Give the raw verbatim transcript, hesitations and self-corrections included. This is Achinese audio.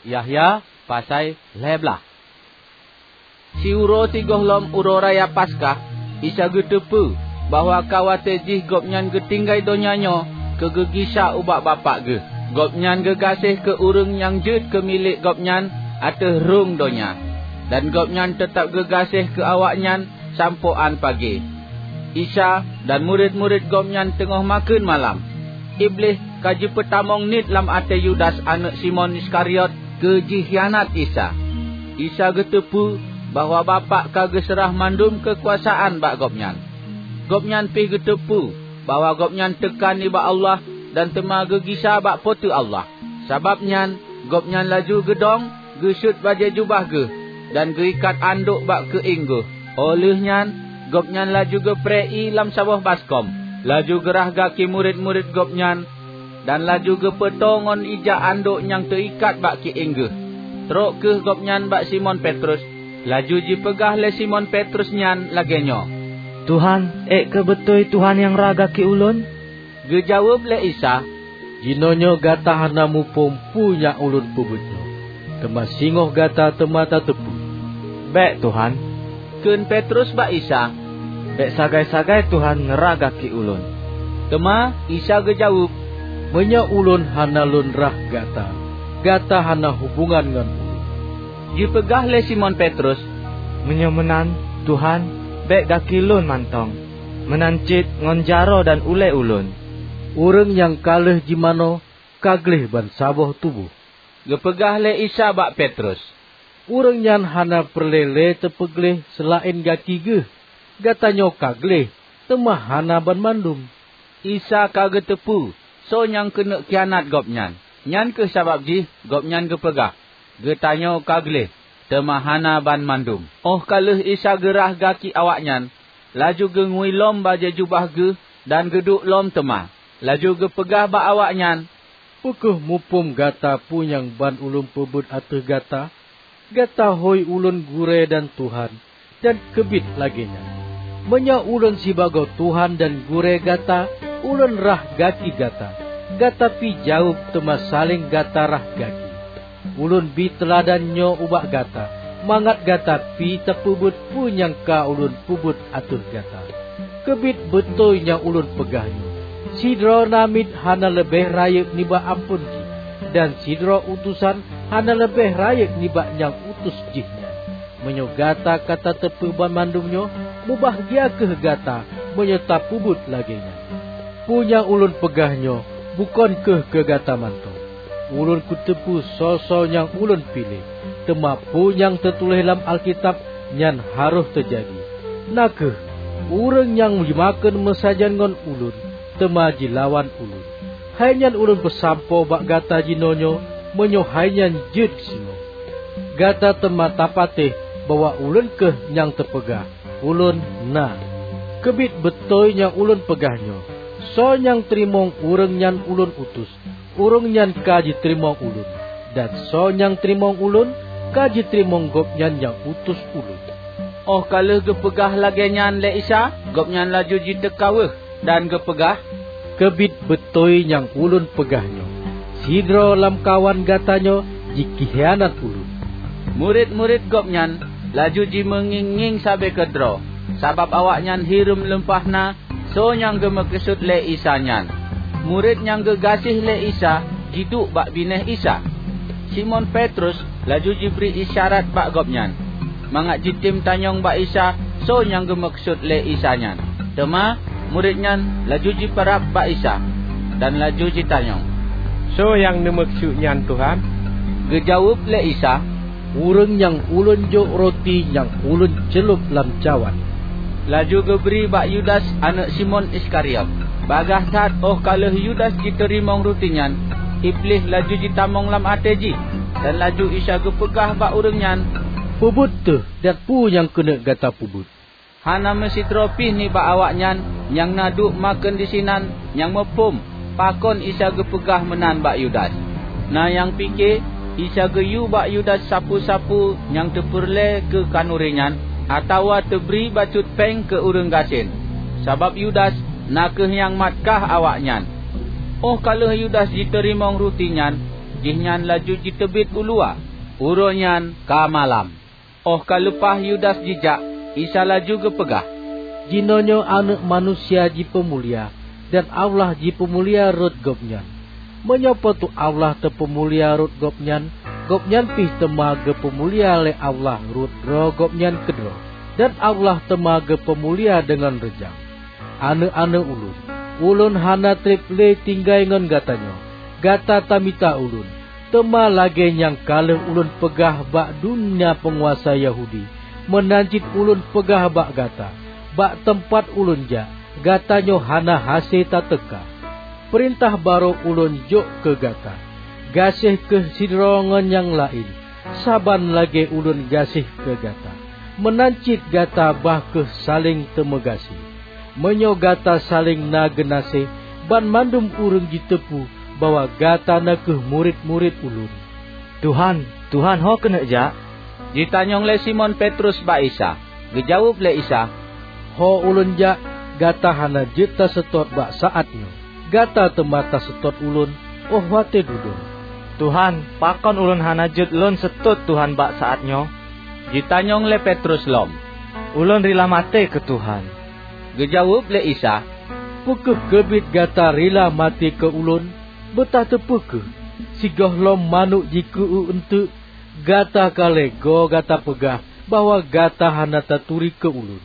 Yahya pasai lhée blaih. Siuroe sigohlom Uroe Raya Paskah, Isa geuteupeue bahwa ka watée jih Gobnyan geutinggai donya nyoe keu geugisa ubak Bapak Geuh. Gobnyan geugaséh keu ureuëng nyang jeuet keu milék Gobnyan ateueh rhueng donya, dan Gobnyan teutab geugaséh keu awaknyan sampoe án pagée. Isa dan murit-murit Gobnyan teungoh makheun malam. Iblih ka jipeutamong niet lam até Yudas aneuëk Simon Iskariot keu jikhianat Isa. Isa geuteupeue bahwa Bapak ka geuseurah mandum keukuasaan bak Gobnyan. Gobnyan pih geuteupeue bahwa Gobnyan teuka nibak Allah dan teuma geugisa bak Po teu Allah. Sabab nyan, Gobnyan laju geudong, geuseuet bajée jubah Geuh, dan geuikat andok bak keuieng Geuh. Óh lheueh nyan, Gobnyan laju geupreh ié lam saboh baskom, laju geurhah gaki murit-murit Gobnyan, dan laju geupeutoe ngon ija andok nyang teuikat bak keuieng Geuh. Trok kheueh Gobnyan bak Simon Petrus, laju jipeugah lé Simon Petrus nyan lagée nyoe, "Tuhan, ék keuh beutôi Tuhan nyang rhah gaki ulôn?" Geujaweueb lé Isa, "Jinoenyoe gata hana muphom peue nyang Ulôn peubuet nyoe, teuma singoh gata teuma tateupeue." "Bék, Tuhan," kheun Petrus bak Isa, "bék sagai-sagai Tuhan neurhah gaki ulôn." Teuma Isa geujaweueb, "Meunyoe Ulôn hana Lôn rhah gata, gata hana hubongan ngon Ulôn." Jipeugah lé Simon Petrus, "Meunyoe meunan, Tuhan, bék gaki lôn mantong, meunan cit ngon jaroe dan ulée ulôn." "Ureuëng nyang ka lheueh jimanoe ka gleh bansaboh tuboh," geupeugah lé Isa bak Petrus. "Ureuëng nyan hana peureulée lé teupeugleh seulaén gaki geuh. Gata nyoe ka gleh, teuma hana banmandum." Isa ka geuteupeue soe nyang keuneuk khianat Gobnyan, nyan kheueh sabab jih Gobnyan geupeugah, "Geutanyoe ka gleh, teuma hana banmandum." Óh ka lheueh Isa geurhah gaki awaknyan, laju geungui lom bajée jubah Geuh dan geuduek lom teuma. Laju geupeugah bak awaknyan, "Peu kheueh muphom gata peue nyang ban Ulôn peubuet ateueh gata? Gata hôi Ulôn 'Gurée' dan 'Tuhan', dan keubiet lagée nyan. Meunyoe Ulôn sibagoe Tuhan dan Gurée gata, Ulôn rhah gaki gata, gata pih jaweueb teuma saléng gata rhah gaki. Ulôn bi teuladan nyoe ubak gata, mangat gata pih tapeubuet peue nyang ka Ulôn peubuet ateueh gata. Keubiet beutôi nyang Ulôn peugah nyoe: Sidroe namiet hana leubeh rayeuk nibak amphon jih, dan sidroe utosan hana leubeh rayeuk nibak nyang utus jih nyan. Meunyoe gata ka tateupeue banmandum nyoe, mubahgia kheueh gata meunyoe tapeubuet lagée nyan. Peue nyang Ulôn peugah nyoe bukon kheueh keu gata mantong. Ulôn kuteupeue soe-soe nyang Ulôn piléh, teuma peue nyang teutuléh lam Alkitab, nyan harôh teujadi. Na kheueh, 'Ureuëng nyang jimakheun meusajan ngon Ulôn, teuma jilawan Ulôn.' Hai nyan Ulôn peusampoe bak gata jinoenyoe, meunyoe hai nyan jeuet singoh. Gata teuma tapatéh bahwa Ulôn kheueh nyang teupeugah, 'Ulôn na.' Keubiet beutôi nyang Ulôn peugah nyoe: Soe nyang teurimong ureuëng nyang Ulôn utus, ureuëng nyan ka jiteurimong Ulôn, dan soe nyang teurimong Ulôn, ka jiteurimong Gobnyan nyang utus Ulôn." Óh ka lheueh geupeugah lagée nyan lé Isa, Gobnyan laju jiteuka weueh dan geupeugah, "Keubiet beutôi nyang Ulôn peugah nyoe: Sidroe lamkawan gata nyoe jikhianat Ulôn." Murit-murit Gobnyan laju jimeungieng-ngieng sabe keudroe, sabab awaknyan hireuen lumpah na soe nyang geumeukeusut lé Isa nyan. Murit nyang geugaséh lé Isa jiduek bak binéh Isa. Simon Petrus laju jibri isyarat bak gobnyan, mangat jitem tanyong bak Isa soe nyang geumeukeusut lé Isa nyan. Teuma murit nyan laju jipeurab bak Isa, dan laju jitanyong, "Soe nyang neumeukeusut nyan, Tuhan?" Geujaweueb lé Isa, "Ureuëng nyang Ulôn jok roti nyang Ulôn ceulop lam cawan." Laju geubri bak Yudas, aneuëk Simon Iskariot. Bagaih that óh ka lheueh Yudas jiteurimong ruti nyan, Iblih laju jitamong lam até jih, dan laju Isa geupeugah bak ureuëng nyan, "Peubuet teuh, dan peue nyang keuneuk gata peubuet." Hana meusidroe pih nibak awaknyan nyang na duek makheun disinan nyang muphom pakon Isa geupeugah meunan bak Yudas. Na nyang pike Isa geuyue bak Yudas sapeue-sapeue nyang teupeureulée keu khanuri nyan, atawa teubri bacut péng keu ureuëng gasien, sabab Yudas na kheueh nyang mat kah awaknyan. Óh ka lheueh Yudas jiteurimong ruti nyan, Jihnyan laju jiteubiet u luwa, uroe nyan ka malam. Óh ka leupah Yudas jijak, Isa laju geupeugah, "Jinoenyoe Aneuëk Manusia jipeumulia, dan Allah jipeumulia rot Gobnyan. Meunyoe Po teu Allah teupeumulia rot Gobnyan, Gobnyan pih teuma geupeumulia lé Allah rot droe Gobnyan keudroe, dan Allah teuma geupeumulia deungon reujang. Aneuëk-aneuëk ulôn, ulôn hana treb lé tinggai ngon gatanyoe. Gata tamita ulôn, teuma lagée nyang ka lheueh ulôn peugah bak dum peunguasa Yahudi, meunan cit ulôn peugah bak gata, bak teumpat ulôn jak, gatanyoe hana hase tateuka. Peurintah barô ulôn jok keu gata: Gaséh kheueh sidroe ngon nyang laén, saban lagée ulôn gaséh keu gata. Meunan cit gata bah kheueh saléng teumeugaséh. Meunyoe gata saléng na geunaséh, banmandum ureuëng jiteupeu bahwa gata na kheueh murit-murit Ulôn." "Tuhan, Tuhan, ho keuneuk jak?" jitanyong lé Simon Petrus bak Isa. Geujaweueb lé Isa, "Ho Ulôn jak, gata hana jeuet taseutôt bak saát nyoe. Gata teuma taseutôt Ulôn óh watée dudoe." "Tuhan, pakon ulôn hana jeuet lôn seutôt Tuhan bak saát nyoe?" jitanyong lé Petrus lom. "Ulôn rila maté keu Tuhan." Geujaweueb lé Isa, "Peu kheueh keubiet gata rila maté keu Ulôn? Beutateupeue kheueh, sigohlom manök jikeu-eu eunteuk, gata ka lhée goe gata peugah bahwa gata hana taturi keu Ulôn."